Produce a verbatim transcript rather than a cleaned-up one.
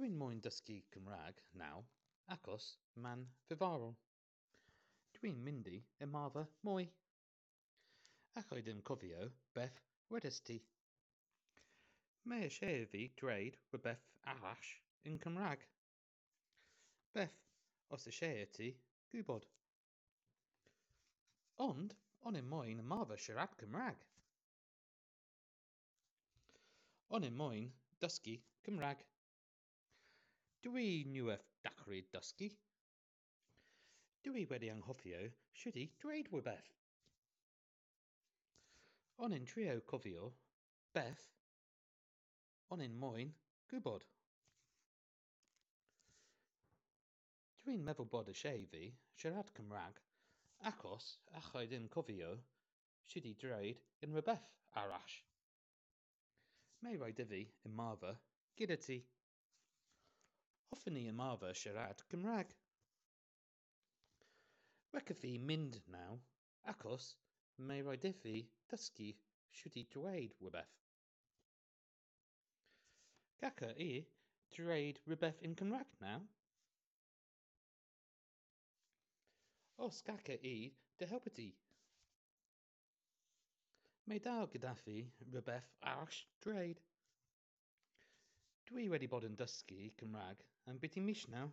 Dwi'n moyn dysgu Cymraeg nawr achos mae'n ddiddorol. Dwi'n mynd i ymarfer mwy. Alla i ddim cofio beth wedest ti. Mae eisiau i fi dweud rhywbeth arall yn Cymraeg. Beth os eisiau i ti gwybod? Ond o'n i'm moyn ymarfer siarad Cymraeg. O'n i'm moyn dysgu Cymraeg. Dwi newydd dechrau dysgu. Dwi wedi anghofio sut i dweud rhywbeth. O'n i'n trio cofio beth o'n i'n moyn gwybod. Dwi'n meddwl bod eisiau i fi siarad Cymraeg achos alla i ddim cofio sut i dweud unrhyw beth arall. Mae rhaid i fi ymarfer gyda ti. Hoffwn i ymarfer siarad Cymraeg. Rhaid i fi mynd nawr achos mae rhaid i fi dysgu sut i dweud rhywbeth. Galla i dweud rhywbeth yn Cymraeg nawr? Os galla i dy helpu ti? Mae dal gyda fi rhywbeth arall dweud. Dwi wedi bod yn dysgu Cymraeg am biti mis nawr.